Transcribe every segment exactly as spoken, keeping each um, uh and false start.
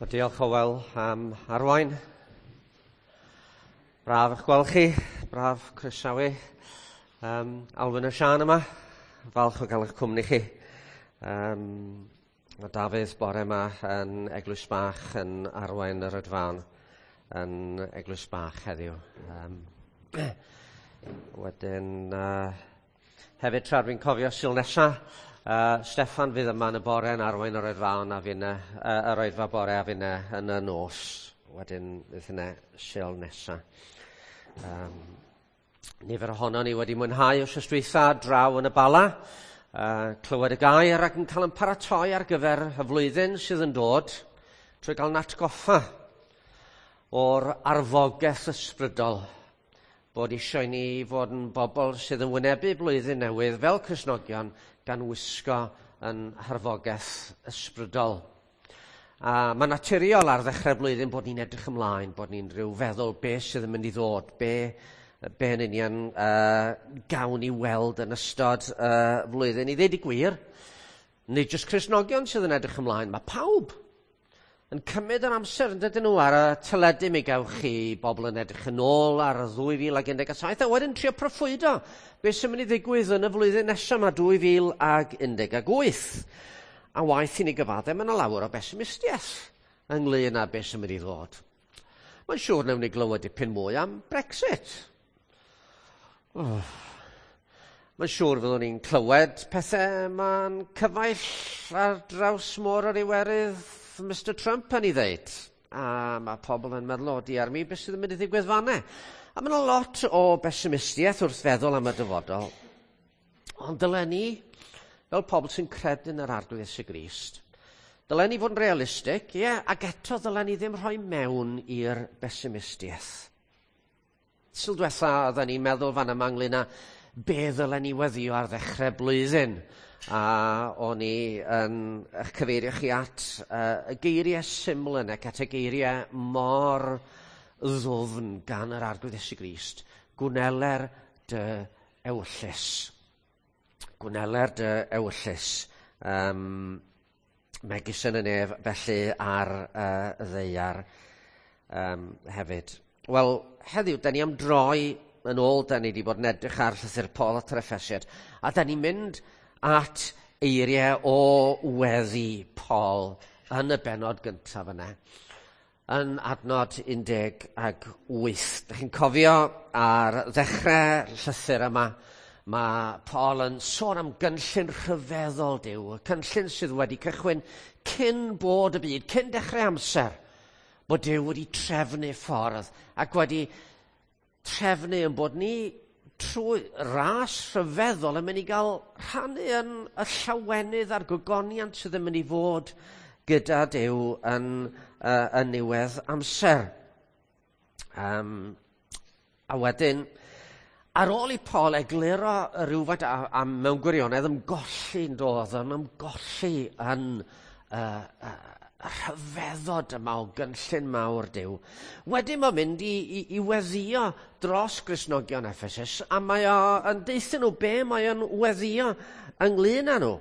Wel, diolch Hywel am arwain. Braf eich gweld chi, braf croesawu um, Alwyn a Siân yma. Falch o gael eich cwmni chi. Um, mae Dafydd bore yma yn Eglwys Bach yn arwain yr oedfaon yn Eglwys Bach heddiw. Um, wedyn, uh, hefyd tra dwi'n cofio Sul nesa, Uh, Steffan fydd yma yn y bore yn arwain yr oedfaon a finne, uh, yr oedfa bore a finne yn y nos. Wedyn fydd hynny Sul nesa. Um, nifer ohono ni wedi mwynhau wythnos dwytha draw yn y Bala, uh, clywed y gair ac yn cael yn paratoi ar gyfer y flwyddyn sydd yn dod trwy gael natgoffa o'r arfogaeth ysbrydol bod eisiau ni fod yn bobl sydd yn wynebu blwyddyn newydd fel Cristnogion gan wisgo yn harfogaeth ysbrydol. A mae'n naturiol ar ddechrau blwyddyn bod ni'n edrych ymlaen, bod ni'n rhyw feddwl be sydd yn mynd i ddod, be, be yn union uh, gawn ni weld yn ystod uh, flwyddyn. I ddweud y gwir, nid jyst Cristnogion sydd yn edrych ymlaen, mae pawb yn cymryd yr amser yn dydyn nhw ar y teledu. Mi gewch chi bobl yn edrych yn ôl ar y ddwy fil ag un deg saith a wedyn trio proffwydo beth sy'n mynd i ddigwydd yn y flwyddyn nesaf yma dwy fil ag un deg wyth. A waeth i ni gyfadde, mae yna lawer o besimistiaeth ynglyn â beth sy'n mynd i ddod. Mae'n siŵr wnawn ni glywed dipyn mwy am Brexit. Oh. Mae'n siŵr fyddwn ni'n clywed pethau ma'n cyfaill ar draws môr yr Iwerydd Mister Trump yn ei ddeud. A mae pobl yn meddwl, o diar mi, beth sydd yn mynd i ddigwydd fanne? A mae yna lot o besimistiaeth wrth feddwl am y dyfodol. Ond dylen ni, fel pobl sy'n credu yn yr Arglwydd Iesu Grist, dylen ni fod yn realistig, ie, yeah, ac eto dylen ni ddim rhoi mewn i'r besimistiaeth. Sul diwetha, oedden ni'n meddwl fan yma ynglyn â be ddylen ni weddio ar ddechrau blwyddyn. A o'n i yn eich cyfeirio chi at uh, y geiriau syml yna, at y geiriau mor ddwfn gan yr Arglwydd Iesu Grist. Gwneler dy ewyllys. Gwneler dy ewyllys. Um, megis yn y nef, felly ar uh, y ddaear um, hefyd. Wel, heddiw, da ni am droi yn ôl, da ni wedi bod yn edrych ar llythyr Paul at yr Effesiaid, a da ni'n mynd at eiriau o weddi Paul yn y bennod gyntaf yna, yn adnod un deg ag wyth. Dych chi'n cofio ar ddechrau llythyr yma, mae Paul yn sôn am gynllun rhyfeddol Duw, y cynllun sydd wedi cychwyn cyn bod y byd, cyn dechrau amser, bod Duw wedi trefnu ffordd ac wedi trefnu yn bod ni trwy ras rhyfeddol yn mynd i gael rhannu yn y llawenydd a'r gogoniant sydd yn mynd i fod gyda Duw yn, uh, yn niwedd amser. Um, a wedyn, ar ôl i Paul egluro rhywfaint a, a mewn gwirionedd ymgolli'n doedd, yn ymgolli yn uh, uh, rhyfeddod yma o gynllun mawr Duw. Wedyn mae'n mynd i, i, i weddio dros Gristnogion Ephesus, a mae o yn deutha nhw be mae o'n weddio ynglyn â nhw.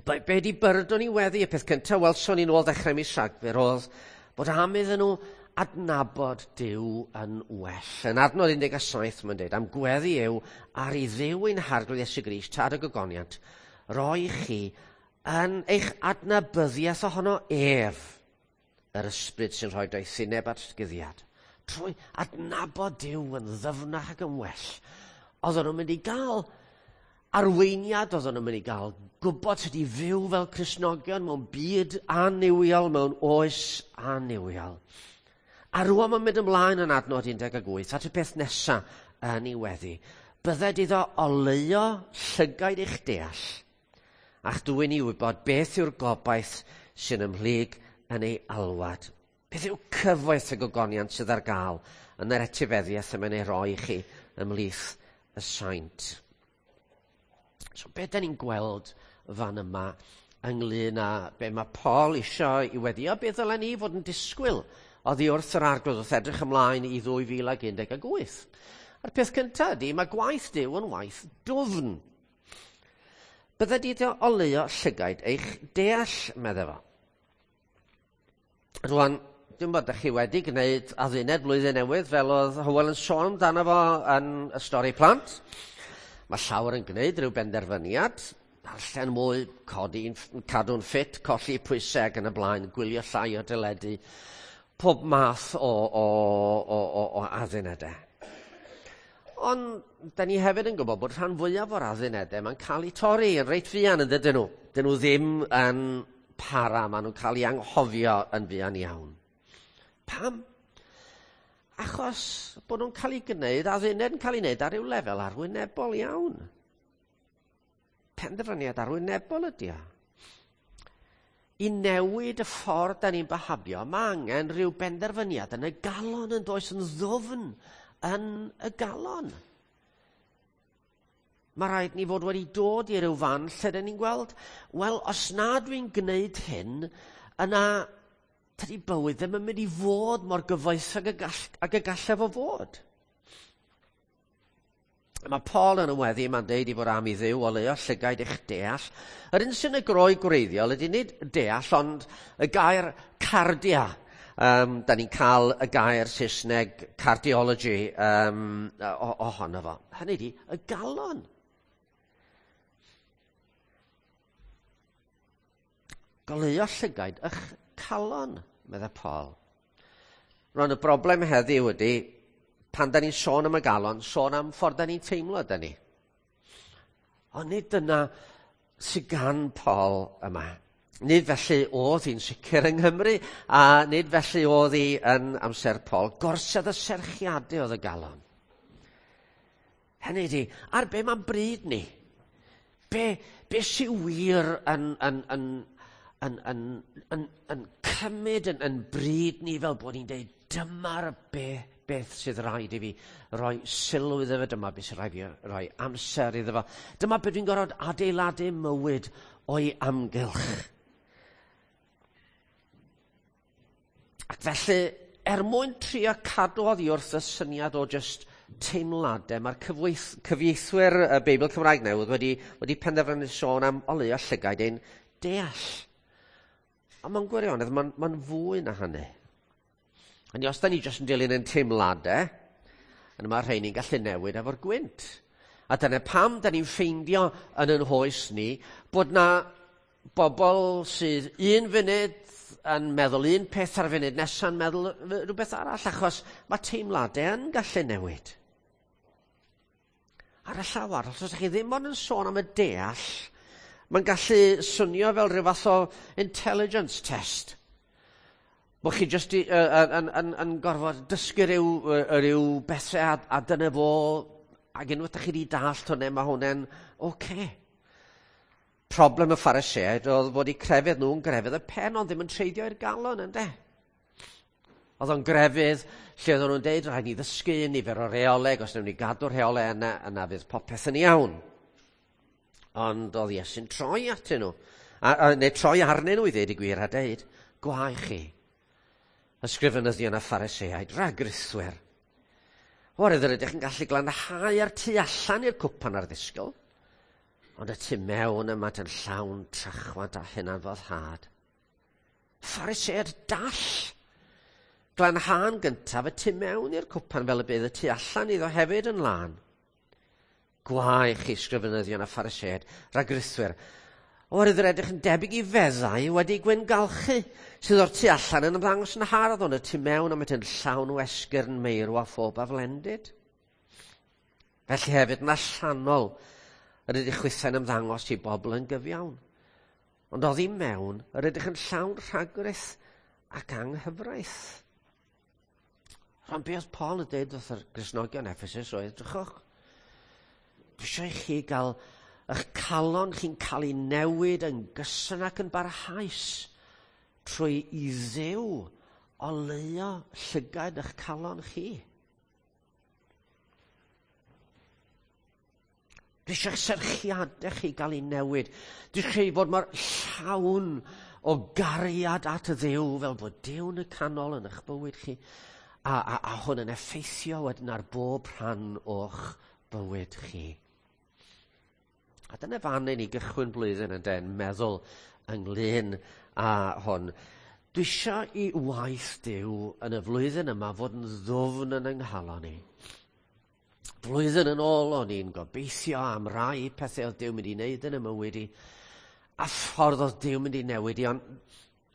Be, be di byrdwn i weddi? Y peth cyntaf welson ni'n ôl ddechrau mis Rhagfyr oedd bod am iddyn nhw adnabod Duw yn well. Yn adnod un deg saith mae'n dweud, am gweddi yw ar i Dduw ein Harglwydd Iesu Grist, tad y gogoniant, roi chi yn eich adnabyddiaeth ohono ef, yr ysbryd sy'n rhoi doethineb at guddiad. Trwy adnabod Duw yn ddyfnach ac yn well, oedden nhw'n mynd i gael arweiniad, oedden nhw'n mynd i gael gwybod sut i fyw fel Cristnogion mewn byd annuwiol, mewn oes annuwiol. A rŵan mae'n mynd ymlaen yn adnod un deg wyth at y peth nesaf yn ei weddi. Bydded iddo oleuo llygaid eich deall, a'ch dwyn i wybod beth yw'r gobaith sy'n ymhlyg yn ei alwad. Beth yw cyfoeth y gogoniant sydd ar gael yn yr etifeddiaeth y mae'n ei roi i chi ymhlith y saint. So be da ni'n gweld fan yma ynglyn â be mae Paul isio i weddio, be ddylen ni fod yn disgwyl oddi wrth yr Arglwydd wrth edrych ymlaen i ddwy fil ag un deg wyth. A'r peth cyntaf ydy, mae gwaith Duw yn waith dwfn. Bydde di oleuo llygaid eich deall, medde fo. Rwan, dwi'n bod ydych chi wedi gwneud adduned blwyddyn newydd fel oedd Hywel yn sôn amdano fo yn y stori plant. Mae llawer yn gwneud rhyw benderfyniad, darllen mwy, codi'n, cadw'n ffit, colli pwysau ac yn y blaen, gwylio llai o deledu, pob math o, o, o, o, o addunedau. Ond, da ni hefyd yn gwybod bod rhan fwyaf o'r addunedau mae'n cael eu torri yn reit fuan yn dydyn nhw. Dyn nhw ddim yn para, maen nhw'n cael eu anghofio yn fuan iawn. Pam? Achos bod nhw'n cael eu gwneud, adduned yn cael ei wneud ar ryw lefel arwynebol iawn. Penderfyniad arwynebol ydy o. I newid y ffordd da ni'n byhafio, mae angen rhyw benderfyniad yn y galon yn does, yn ddwfn yn y galon. Mae rhaid ni fod wedi dod i ryw fan lle dyn ni'n gweld, wel, os na dwi'n gwneud hyn, yna tydi bywyd ddim yn mynd i fod mor gyfoethog ag y gall, ag y gallai fo fod. Mae Paul yn y weddi yma'n deud i fod am i Dduw oleuo llygaid eich deall. Yr un sy'n y Groeg gwreiddiol ydy nid deall, ond y gair cardia. Um, da ni'n cael y gair Saesneg cardiology um, ohono fo. Hynny ydi, y galon. Goleuo llygaid eich calon, meddai Paul. Rwan, y broblem heddiw ydy, pan da ni'n sôn am y galon, sôn am ffordd da ni'n teimlo, da ni. Ond nid dyna sydd gan Paul yma. Nid felly oedd hi'n sicr yng Nghymru, a nid felly oedd hi yn amser Paul. Gorsedd y serchiadau oedd y galon. Hynny ydi, ar be mae'n bryd ni? Be, be sy'n wir yn, yn, yn, yn, yn, yn, yn cymryd yn, yn bryd ni fel bod ni'n dweud, dyma'r be, beth sydd rhaid i fi roi sylw iddo fe, dyma beth sydd rhaid i fi roi amser iddo fe. Dyma beth dwi'n gorfod adeiladu mywyd o'i amgylch. Ac felly, er mwyn trio cadw oddi wrth y syniad o just teimladau, mae'r cyfieithwyr y Beibl Cymraeg Newydd wedi, wedi penderfynu sôn am oleuo llygaid ein deall. A mae'n gwirionedd, mae'n ma fwy na hynny. Hynny, os da ni jyst yn dilyn ein teimladau, yna mae rheini'n gallu newid efo'r gwynt. A dyna pam da ni'n ffeindio yn yn hoes ni bod na bobl sydd un funud yn meddwl un peth ar y funud nesa'n meddwl rhywbeth arall, achos mae teimladau yn gallu newid. Ar y llaw arall, os ydych chi ddim ond yn sôn am y deall, mae'n gallu swnio fel rhyw fath o intelligence test. Bod chi jyst i, uh, yn, yn, yn gorfod dysgu rhyw, rhyw bethau a, a dyna fo, ac unwaith ydych chi wedi dallt hwnna, mae hwnna'n oce. Okay. Problem y Phariseaid oedd fod eu crefydd nhw'n grefydd y pen, ond ddim yn treiddio i'r galon, ynde? Oedd o'n grefydd lle oedden nhw'n deud, rhaid ni ddysgu nifer o reoleg, os wnawn ni gadw'r rheolau yna, yna fydd popeth yn iawn. Ond oedd Iesu'n troi atyn nhw, a, a, neu troi arnyn nhw i ddeud y gwir a deud, gwae chi, ysgrifenyddion a Phariseaid, rhagrithwyr. Oherwydd yr ydych yn gallu glanhau ar tu allan i'r cwpan a'r ddisgwyl, ond y tu mewn yma yn llawn trachwant a hunanfoddhad. Phariseaid dall! Glanhau'n gyntaf y tu mewn i'r cwpan fel y bydd y tu allan iddo hefyd yn lân. Gwae chi, sgrifenyddion a Phariseaid, rhagrithwyr, oherwydd yr edrych yn debyg i feddau wedi gwyngalchu, sydd o'r tu allan yn ymddangos yn hardd, ond y tu mewn am yn llawn o esgyrn meirw a phob aflendid. Felly hefyd yn allanol, yr ydych chwithau'n ymddangos i bobl yn gyfiawn. Ond oddi mewn, yr ydych yn llawn rhagrith ac anghyfraith. Rhan be oedd Paul yn dweud wrth yr Gristnogion Ephesus oedd, drychwch, dwi eisiau i chi gael eich calon chi'n cael ei newid yn gyson ac yn barhaus trwy i Dduw oleuo llygaid eich calon chi. Dwi eisiau eich serchiadau chi gael ei newid. Dwi eisiau chi fod mor llawn o gariad at y Dduw, fel bod Duw yn y canol yn eich bywyd chi, a, a, a hwn yn effeithio wedyn ar bob rhan o'ch bywyd chi. A dyna fan i ni gychwyn blwyddyn yn den, meddwl ynglyn â hwn. Dwi eisiau i waith Duw yn y flwyddyn yma fod yn ddwfn yn yng nghalon ni. Flwyddyn yn ôl o'n i'n gobeithio am rai pethau oedd Duw mynd i wneud yn y mywyd i, a ffordd oedd Duw mynd i newid i, ond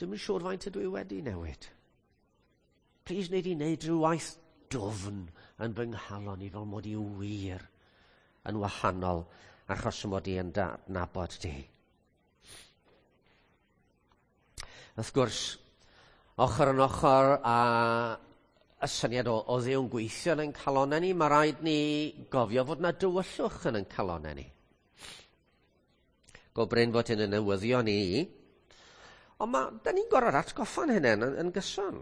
dwi'm yn siŵr faint ydw i wedi newid. Plis wneud i wneud rhyw waith dwfn yn fy nghalon i fel mod i wir yn wahanol achos mod i yn nabod di. Wrth gwrs, ochr yn ochr â y syniad o, o Dduw'n gweithio yn ein calonnau ni, mae rhaid ni gofio fod na dywyllwch yn ein calonnau ni. Go brin fod hyn yn newyddion ni, ond ma, da ni'n gorfod atgoffa'n hynny yn, yn gyson.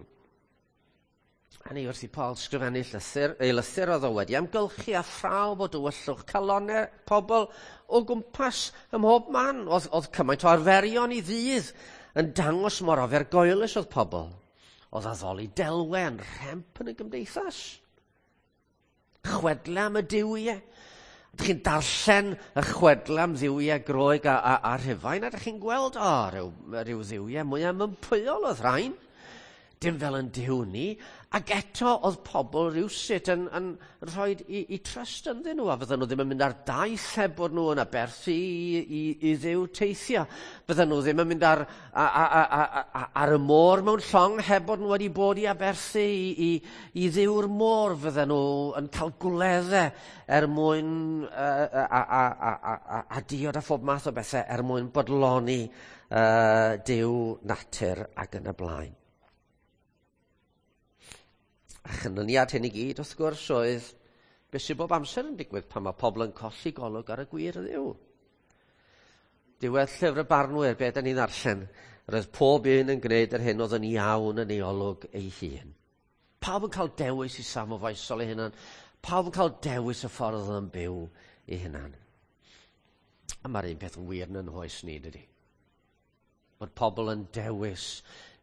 A ni wrth i Paul sgrifennu llythyr, ei lythyr oedd o wedi amgylchu a phrawf o dywyllwch calonnau pobl o gwmpas ym mhob man. Oedd, oedd cymaint o arferion i ddydd yn dangos mor ofergoelus oedd pobl. Oedd addoli delwe yn rhemp yn y gymdeithas. Chwedle am y duwiau. Ydych chi'n darllen y chwedle am dduwiau Groeg a, a, a Rhufain, a ydych chi'n gweld, o, rhyw, rhyw dduwiau mwy mympwyol oedd rhain. Dim fel yn Duw ni, ac eto oedd pobl rywsut yn, yn rhoi i, i trust ynddyn nhw, a fydden nhw ddim yn mynd ar daith heb bod nhw yn aberthu i, i, i Dduw teithio. Fydden nhw ddim yn mynd ar, a, a, a, a, ar y môr mewn llong heb bod nhw wedi bod i aberthu i, i, i Dduw'r môr. Fydden nhw yn cael gwleddau er mwyn a, a, a, a, a, a diod a phob math o bethau er mwyn bodloni uh, Duw natur ac yn y blaen. A chynlyniad hyn i gyd, wrth gwrs, oedd beth sydd bob amser yn digwydd pan mae pobl yn colli golwg ar y gwir Dduw. Diwedd llyfr y barnwyr, be da ni'n ddarllen, roedd pob un yn gwneud yr hyn oedd yn iawn yn ei olwg ei hun. Pawb yn cael dewis i safon foesol ei hunan. Pawb yn cael dewis y ffordd oedd yn byw ei hunan. A mae'r un peth yn wir yn yn hoes ni, dydy. Bod pobl yn dewis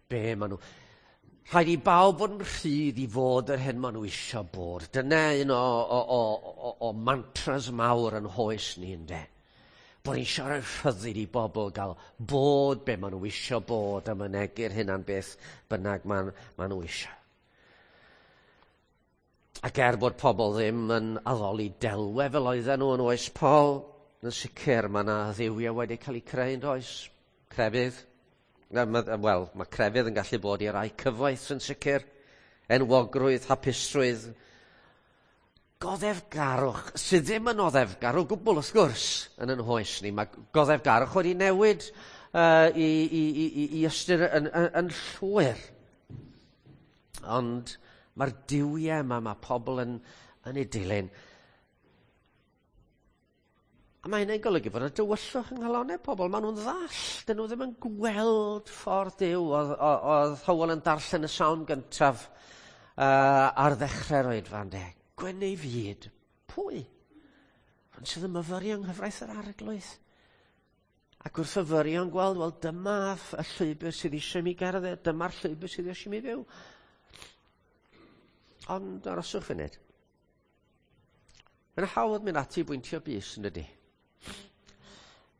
be maen nhw. Rhaid i bawb fod yn rhydd i fod yr hyn maen nhw eisiau bod. Dyna un o, o, o, o, o mantras mawr yn hoes ni, ynde. Bod ni'n eisiau rhoi rhyddid i bobl gael bod be maen nhw eisiau bod a mynegu'r hynna'n beth bynnag maen, maen nhw eisiau. Ac er bod pobl ddim yn addoli delwe fel oedden nhw yn oes Paul, yn sicr mae yna dduwiau wedi cael eu creu yn does. Crefydd. Wel, mae crefydd yn gallu bod i rai cyfoeth yn sicr, enwogrwydd, hapusrwydd, goddefgarwch, sydd ddim yn oddefgar o gwbl wrth gwrs yn yn hoes ni. Mae goddefgarwch wedi newid uh, i, i, i, i ystyr yn, yn, yn llwyr. Ond mae'r duwiau yma, mae pobl yn, yn ei dilyn. A mae hynny'n golygu fod y dywyllwch yng nghalonnau pobl, maen nhw'n ddall, dyn nhw ddim yn gweld ffordd Duw. Oedd, oedd Hywel yn darllen y salm gyntaf uh, ar ddechrau'r oedfa, ynde. Gwen ei fyd, pwy? Ond sydd yn myfyrio yng nghyfraith yr Arglwydd. Ac wrth fyfyrio yn gweld, wel dyma y llwybr sydd eisiau mi gerdded, dyma'r llwybr sydd eisiau mi fyw. Ond aroswch funud. Mae'n hawdd mynd ati i bwyntio bys, yn dydi?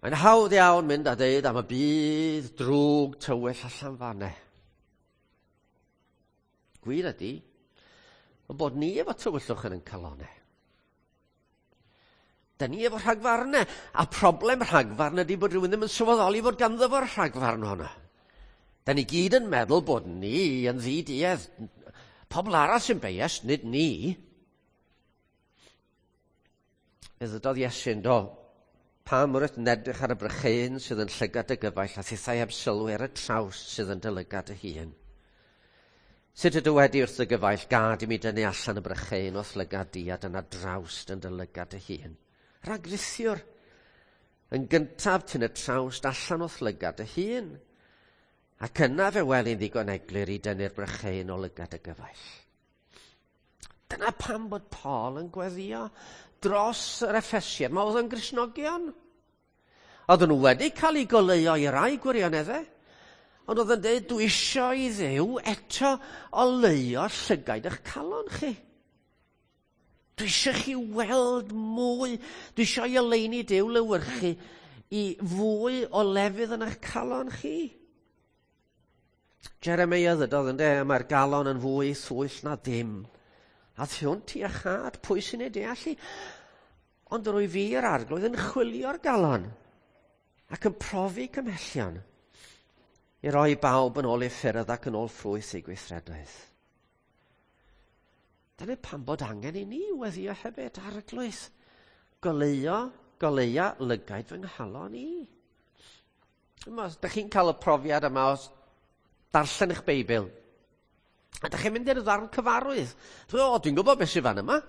Mae'n hawdd iawn mynd a deud am y byd drwg tywyll allan fanne. Gwir ydy, ond bod ni efo tywyllwch yn ein calonnau. Da ni efo rhagfarnau, a problem rhagfarn ydy bod rhywun ddim yn sylweddoli fod ganddo fo'r rhagfarn honno. Da ni gyd yn meddwl bod ni yn ddiduedd. Pobl arall sy'n biased, nid ni. Fe ddydodd Iesu'n do, pam wrth yn edrych ar y brycheuyn sydd yn llygad y gyfaill a thithau heb sylwi ar y trawst sydd yn dy lygad y hun? Sut ydw wedi wrth y gyfaill, gad i mi dynnu allan y brycheuyn o'th lygad di a dyna drawst yn dy lygad y hun? Rhagrithiwr, yn gyntaf tyn y trawst allan o'th lygad y hun, ac yna fe weli'n ddigon eglur i dynnu'r brycheuyn o lygad y gyfaill. Dyna pam bod Paul yn gweddio dros yr Effesiaid. Mae oedd yn Gristnogion. Oedden nhw wedi cael eu goleuo i rai gwirioneddau, ond oedd yn dweud, dwi eisiau i Dduw eto oleuo llygaid eich calon chi. Dwi eisiau chi weld mwy. Dwi eisiau i oleuni Duw lewyrchu i fwy o lefydd yn eich calon chi. Jeremiah ddydodd ynde, mae'r galon yn fwy thwyll na dim. A thiwnt i achad, pwy sy'n ei deall i? Ond rwy fi yr arglwydd yn chwilio'r galon ac yn profi cymhellion i roi bawb yn ôl ei ffyrdd ac yn ôl ffrwyth ei gweithredoedd. Dyna pam bod angen i ni weddio hefyd, arglwydd. Goleuo, goleua lygaid fy nghalon i. Os ydych chi'n cael y profiad yma os darllen eich Beibl, a ydych chi'n mynd i'r ddarn cyfarwydd. O, dwi'n gwybod beth sydd fan yma.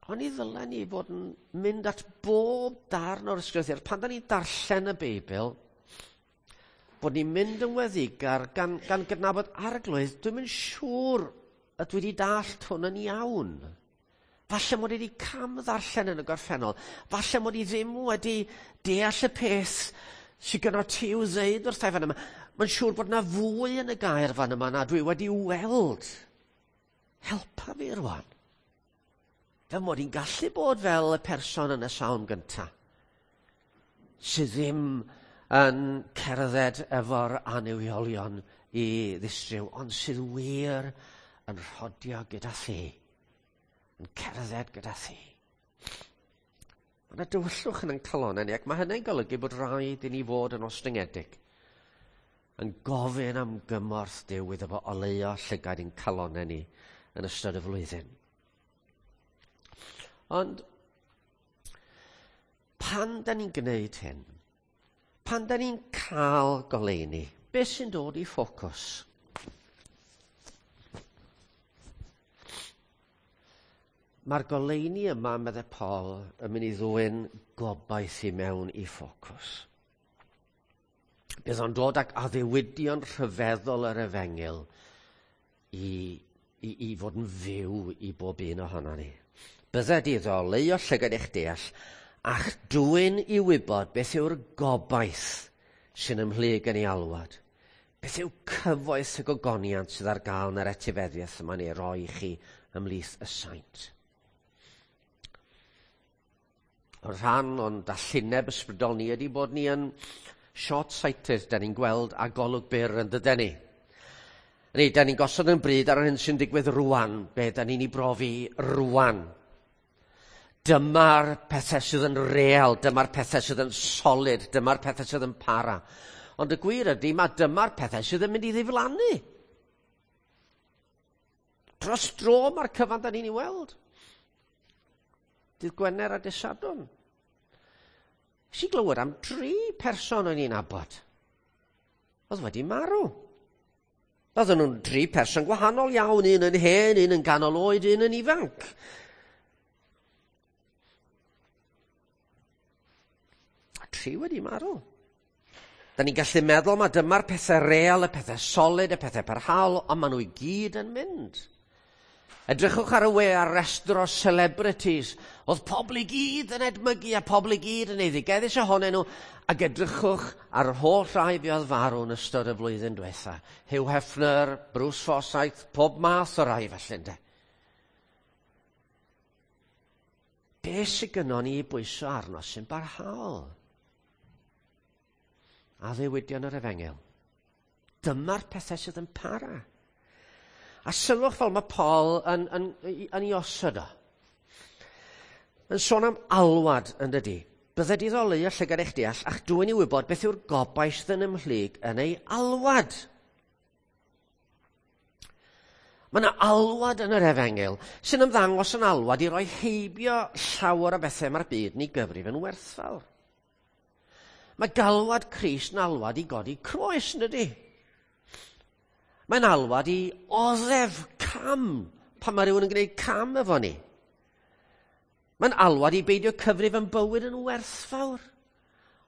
Ond i ddylen ni fod yn mynd at bob darn o'r ysgrythur. Pan da ni'n darllen y Beibl, bod ni'n mynd yn weddigar gan, gan gydnabod arglwydd, dwi'n mynd siŵr y dwi wedi dallt hwn yn iawn. Falle mod i wedi cam ddarllen yn y gorffennol. Falle mod i ddim wedi deall y peth sydd gyda ti i'w ddeud wrtha i fan yma. Mae'n siŵr bod na fwy yn y gair fan yma na dwi wedi weld. Helpa fi rwan. Fel mod i'n gallu bod fel y person yn y salm gyntaf, sydd ddim yn cerdded efo'r annuwiolion i ddistryw, ond sydd wir yn rhodio gyda thi, yn cerdded gyda thi. Mae yna dywyllwch yn ein calonnau ni, ac mae hynny'n golygu bod rhaid i ni fod yn ostyngedig, yn gofyn am gymorth Duw iddo fo oleuo llygaid ein calonnau ni yn ystod y flwyddyn. Ond pan da ni'n gwneud hyn, pan da ni'n cael goleuni, beth sy'n dod i ffocws? Mae'r goleuni yma, meddai Paul, yn mynd i ddwyn gobaith i mewn i ffocws. Bydd o'n dod ag addewidion rhyfeddol yr efengyl i, i, i fod yn fyw i bob un ohono ni. Bydded iddo oleuo llygad eich deall a'ch dwyn i wybod beth yw'r gobaith sy'n ymhlyg yn ei alwad. Beth yw cyfoeth y gogoniant sydd ar gael yn yr etifeddiaeth yma'n ei roi i chi ymhlith y saint. Rhan o'n dallineb ysbrydol ni ydy bod ni yn short-sighted, da ni'n gweld a golwg byr yn dyden ni. Ni, da ni'n gosod yn bryd ar yr hyn sy'n digwydd rwan, be da ni'n ei brofi rwan. Dyma'r pethau sydd yn real, dyma'r pethau sydd yn solid, dyma'r pethau sydd yn para. Ond y gwir ydy, mae dyma'r pethau sydd yn mynd i ddiflannu. Dros dro mae'r cyfan da ni'n ei weld. Dydd Gwener a dydd Sadwrn. Nes i glywed am dri person o'n i'n nabod. Oedd wedi marw. Oedden nhw'n dri person gwahanol iawn, un yn hen, un yn ganol oed, un yn ifanc. A tri wedi marw. Da ni'n gallu meddwl mae dyma'r pethau real, y pethau solid, y pethau parhaol, ond maen nhw i gyd yn mynd. Edrychwch ar y we ar restr o celebrities. Oedd pobl i gyd yn edmygu a pobl i gyd yn eiddigeddus ohonyn nhw. Ac edrychwch ar yr holl rai fuodd farw yn ystod y flwyddyn diwetha. Hugh Hefner, Bruce Forsyth, pob math o rai felly ynde. Be sydd gynnon ni i bwyso arno sy'n barhaol? Addewidion yr efengyl. Dyma'r pethau sydd yn para. A sylwch fel mae Paul yn, yn, yn, yn ei osod o. Yn sôn am alwad yn dydi. Bydded iddo oleuo llygad eich deall a'ch dwyn i wybod beth yw'r gobaith sydd yn ymhlyg yn ei alwad. Mae yna alwad yn yr efengyl sy'n ymddangos yn alwad i roi heibio llawer o bethau mae'r byd ni gyfrif yn werthfawr. Mae galwad Crist yn alwad i godi croes, yn dydi? Mae'n alwad i oddef cam pan mae rhywun yn gwneud cam efo ni. Mae'n alwad i beidio cyfrif yn bywyd yn werthfawr,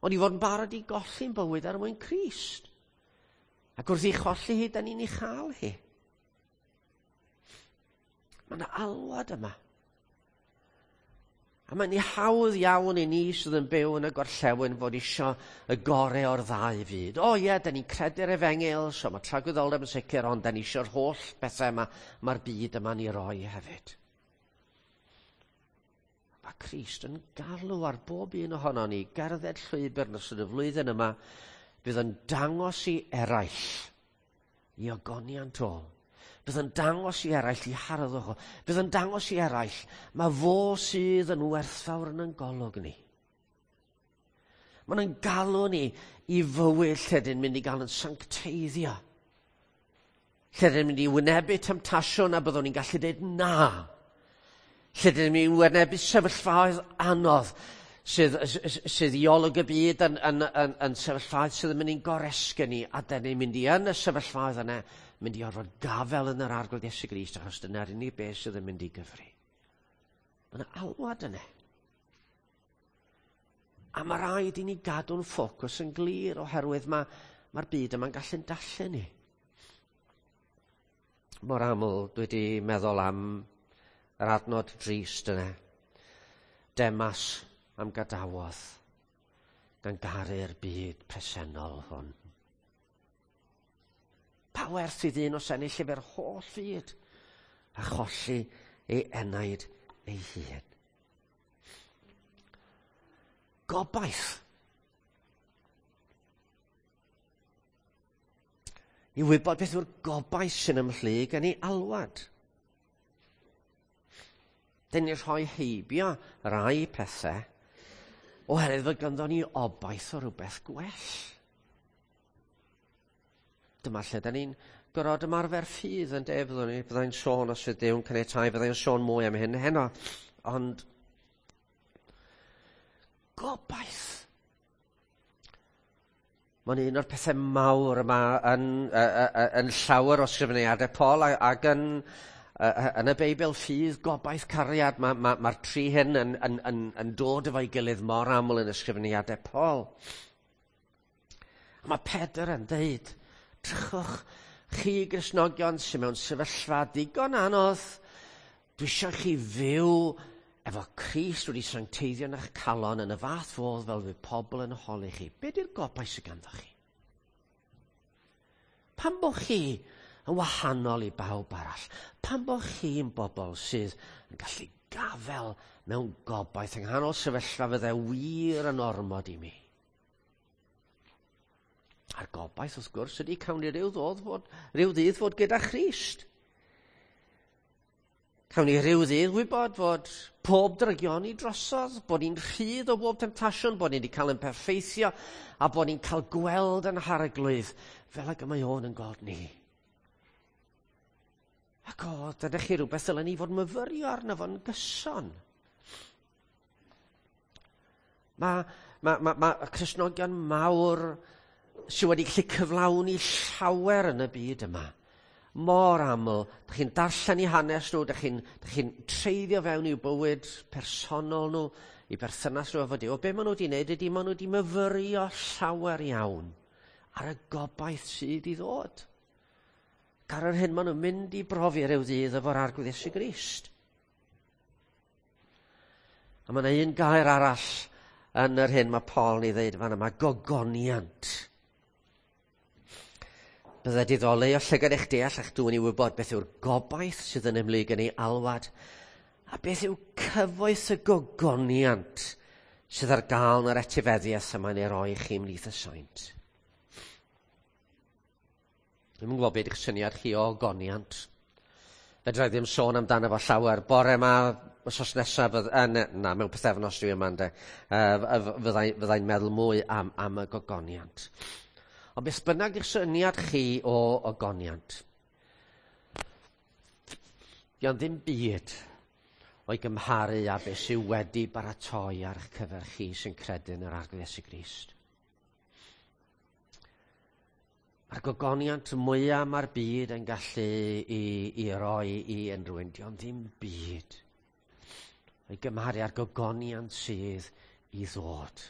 ond i fod yn barod i golli'n bywyd ar mwyn Crist. Ac wrth i cholli hi, da ni'n ei chael hi. Mae yna alwad yma. A mae'n hawdd iawn i ni sydd yn byw yn y gorllewin fod isio y gorau o'r ddau fyd. O ie, da ni'n credu'r efengyl, so mae tragwyddoldeb yn sicr, ond da ni isio'r holl bethau yma, mae'r byd yma'n ei roi hefyd. Mae Crist yn galw ar bob un ohono ni gerdded llwybr yn ystod y flwyddyn yma Bydd yn dangos i eraill i ogoniant o. Bydd yn dangos i eraill i harddwch o. Bydd yn dangos i eraill mae fo sydd yn werthfawr yn ein golwg ni. Mae'n yn galw ni i fywyd lle dyn mynd i gael yn sancteiddio. Lle dyn mynd i wynebu temtasiwn a byddwn ni'n gallu dweud na. Lle dyn mynd i wynebu sefyllfaoedd anodd sydd, sydd i olwg y byd yn, yn, yn, yn sefyllfaoedd sydd yn mynd i'n goresgyn ni, a dyn ni'n mynd i yn y sefyllfaoedd yna, mynd i orfod gafel yn yr Arglwydd Iesu Grist, achos dyna'r unig beth sydd yn mynd i gyfri. Mae yna alwad yna. A mae rhaid i ni gadw'n ffocws yn glir oherwydd mae'r ma byd yma'n gallu'n dallu ni. Mor aml dwi wedi meddwl am yr adnod drist yna. Demas am gadawodd gan garu'r byd presennol hwn. Pa werth i ddyn os ennill efo'r holl fyd a cholli ei enaid ei hun? Gobaith. I wybod beth yw'r gobaith sy'n ymhlyg yn ei alwad. Dyn ni rhoi heibio rai pethau oherwydd fod ganddo ni obaith o rhywbeth gwell. Dyma lle da ni'n gorfod ymarfer ffydd yn de, byddwn ni, byddai'n sôn os fydd Duw'n caniatáu, byddai'n sôn mwy am hyn heno. Ond gobaith. Mae'n un o'r pethau mawr yma yn, yn llawer o sgrifeniadau Paul ac yn, yn y Beibl, ffydd, gobaith, cariad. Mae'r ma, ma tri hyn yn, yn, yn, yn dod efo'i gilydd mor aml yn ysgrifeniadau Paul. A mae Pedr yn dweud, drychwch chi Gristnogion sy'n mewn sefyllfa digon anodd, dwi eisiau chi fyw efo Crist wedi sancteiddio yn eich calon yn y fath fodd fel fydd pobl yn holi chi. Be di'r gobaith sydd ganddo chi? Pam bo chi yn wahanol i bawb arall? Pam bo chi'n bobl sydd yn gallu gafel mewn gobaith yng nghanol sefyllfa fydde wir yn ormod i mi? A'r gobaith, wrth gwrs, ydy cawn ni ryw, ddod fod, ryw ddydd fod gyda Christ. Cawn ni ryw ddydd wybod fod pob drygioni drosodd, bod ni'n rhydd o bob temtasiwn, bod ni wedi cael yn perffeithio, a bod ni'n cael gweld yn harglwydd fel ag y mae o'n yn gweld ni. Ac o, dyna chi rhywbeth dylen ni fod myfyrio arno fo'n gyson. Mae ma, ma, ma Cristnogion mawr sydd wedi gallu cyflawni llawer yn y byd yma. Mor aml, dych chi'n darllen eu hanes nhw, dych chi'n chi treiddio fewn i'w bywyd personol nhw, i berthynas nhw efo Duw. O be maen nhw wedi wneud ydy maen nhw wedi myfyrio llawer iawn ar y gobaith sydd i ddod. Ac ar yr hyn maen nhw'n mynd i brofi ryw ddydd efo'r Arglwydd Iesu Grist. A mae yna un gair arall yn yr hyn mae Paul yn ei ddeud fan yma, gogoniant. Bydde diddoli o llygad eich deall a'ch dŵn i wybod beth yw'r gobaith sydd yn ymhlyg yn ei alwad a beth yw cyfoeth y gogoniant sydd ar gael yn yr etifeddiaeth y mae'n ei roi chi ymhlith y saint. Dwi'm yn gwybod beth yw'ch syniad chi o ogoniant. Fedra i ddim sôn amdano fo llawer. Bore yma, wythnos nesaf, uh, na, na, mewn pythefnos dwi yma, ynde, uh, fyddai'n fyddai meddwl mwy am, am y gogoniant. Ond beth bynnag yw'ch syniad chi o ogoniant, dio'n ddim byd o'i gymharu â beth sydd wedi baratoi ar eich cyfer chi sy'n credu yn yr Arglwydd Iesu Grist. Mae'r gogoniant mwyaf mae'r byd yn gallu i, i roi i unrhyw un, dio'n ddim byd o'i gymharu â'r gogoniant sydd i ddod.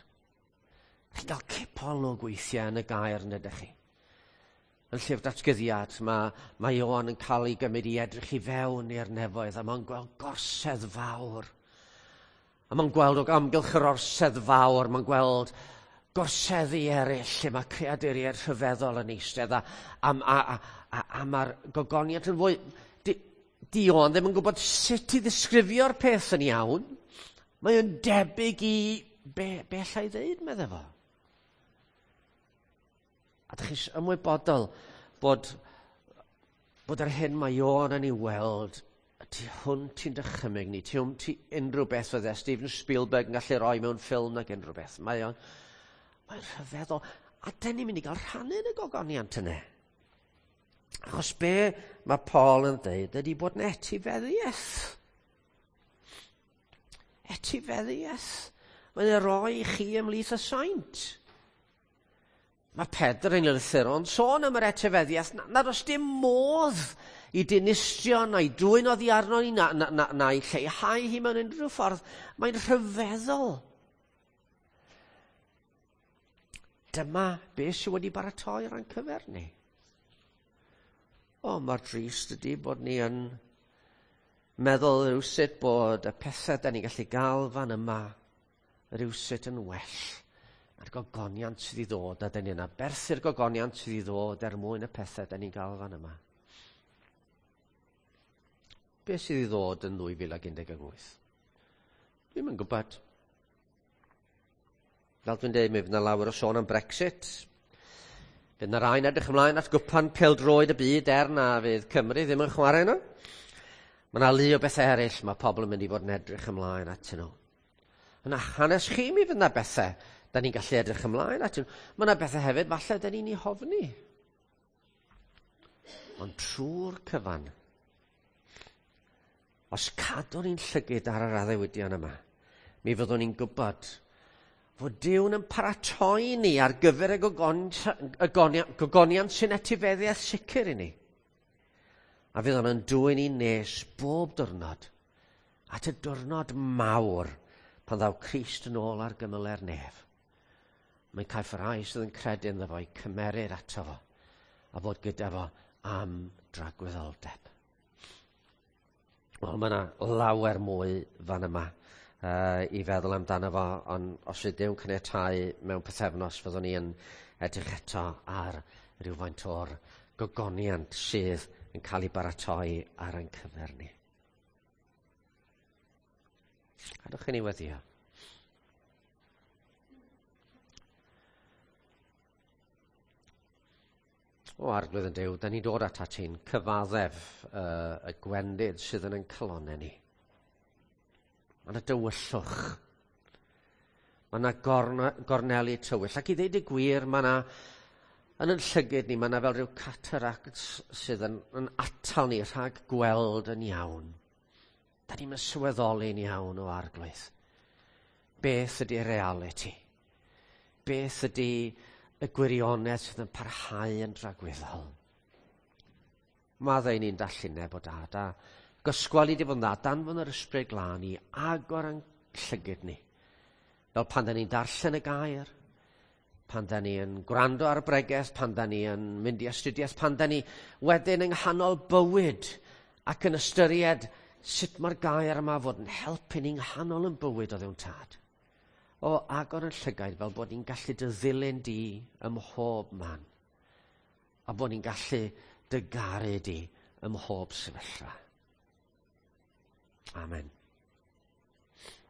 Chi'n cael cipolwg weithiau yn y gair, yn ydych chi? Yn llyfr datguddiad, mae, mae Ioan yn cael ei gymryd i edrych i fewn i'r nefoedd, a mae'n gweld gorsedd fawr. A mae'n gweld o amgylch yr orsedd fawr, mae'n gweld gorseddi eraill lle mae creaduriaid rhyfeddol yn eistedd, a, a, a, a, a, a mae'r gogoniant yn fwy. Di, di Ioan ddim yn gwybod sut i ddisgrifio'r peth yn iawn. Mae o'n debyg i be, be allai ddeud, meddai fo. A dych chi'n ymwybodol bod, bod yr hyn mae Ioan yn ei weld tu hwnt i'n dychymyg ni, tu hwnt i unrhyw beth fydde Steven Spielberg yn gallu rhoi mewn ffilm nag unrhyw beth. Mae o'n mae'n rhyfeddol. A dyn ni'n mynd i gael rhannu yn y gogoniant yna. Achos be mae Paul yn dweud ydy bod yn etifeddiaeth. Etifeddiaeth. Mae'n ei roi i chi ymhlith y saint. Mae Pedr yn lythyron sôn am yr etifeddiaeth nad oes dim modd i dinistrio na'i dwyn oddi arno ni na, na, na, na i lleihau hi mewn unrhyw ffordd. Mae'n rhyfeddol. Dyma beth sydd wedi baratoi ar ein cyfer ni. O, mae'r drist ydy bod ni yn meddwl rhywsut bod y pethau da ni'n gallu gael fan yma rhywsut yn well. A'r gogoniant sydd i ddod, a dyn ni'n aberthu'r gogoniant sydd i ddod er mwyn y pethau da ni'n gael fan yma. Be sydd i ddod yn ddwy fil ac un deg wyth? Dwi'm yn gwybod. Fel dwi'n dweud, mi fydd yna lawer o sôn am Brexit. Fydd yna rai'n edrych ymlaen at gwpan pêl-droed y byd er na fydd Cymru ddim yn chwarae yno. Mae yna lu o bethau eraill mae pobl yn mynd i fod yn edrych ymlaen atyn nhw. Yna hanes chi mi fydd yna bethau da ni'n gallu edrych ymlaen atyn nhw. Mae yna bethau hefyd falle da ni'n ei hofni. Ond trwy'r cyfan, os cadwn ni'n llygyd ar yr addewidion yma, mi fyddwn ni'n gwybod fod Duw'n yn paratoi ni ar gyfer y gogoniant sy'n etifeddiaeth sicr i ni. A fydd o'n dwyn ni nes bob diwrnod at y diwrnod mawr pan ddaw Crist yn ôl ar gymyle'r nef. Mae'n caiff y rhai sydd yn credu ynddo fo i cymerir ato fo a fod gyda fo am dragwyddoldeb. Wel, mae yna lawer mwy fan yma uh, i feddwl amdano fo, ond os ydy Duw'n caniatáu mewn pythefnos, fyddwn ni yn edrych eto ar rhywfaint o'r gogoniant sydd yn cael ei baratoi ar ein cyfer ni. Cadwch i ni weddio. O Arglwydd yn Duw, da ni'n dod atat ti'n cyfaddef uh, y gwendid sydd yn ein calonnau ni. Mae yna dywyllwch. Mae yna gornelu tywyll. Ac i ddeud y gwir, mae yna, yn yn llygyd ni, mae yna fel rhyw cataract sydd yn, yn atal ni rhag gweld yn iawn. Da ni'n sylweddoli'n iawn o Arglwydd. Beth ydy reality? Beth ydy y gwirionedd sydd yn parhau yn dragwyddol? Maddau ni'n dallineb o dad, a gysgwel i di fod yn dda, danfon yr ysbryd glân i agor yn llygyd ni. Fel pan da ni'n darllen y gair, pan da ni'n gwrando ar y bregeth, pan da ni'n mynd i astudiaeth, pan da ni wedyn yng nghanol bywyd ac yn ystyried sut mae'r gair yma fod yn helpu ni'n nghanol yn bywyd o ddewn tad. O agor yn llygaid fel bod ni'n gallu dy ddilyn di ym mhob man. A bod ni'n gallu dy garu di ym mhob sefyllfa. Amen.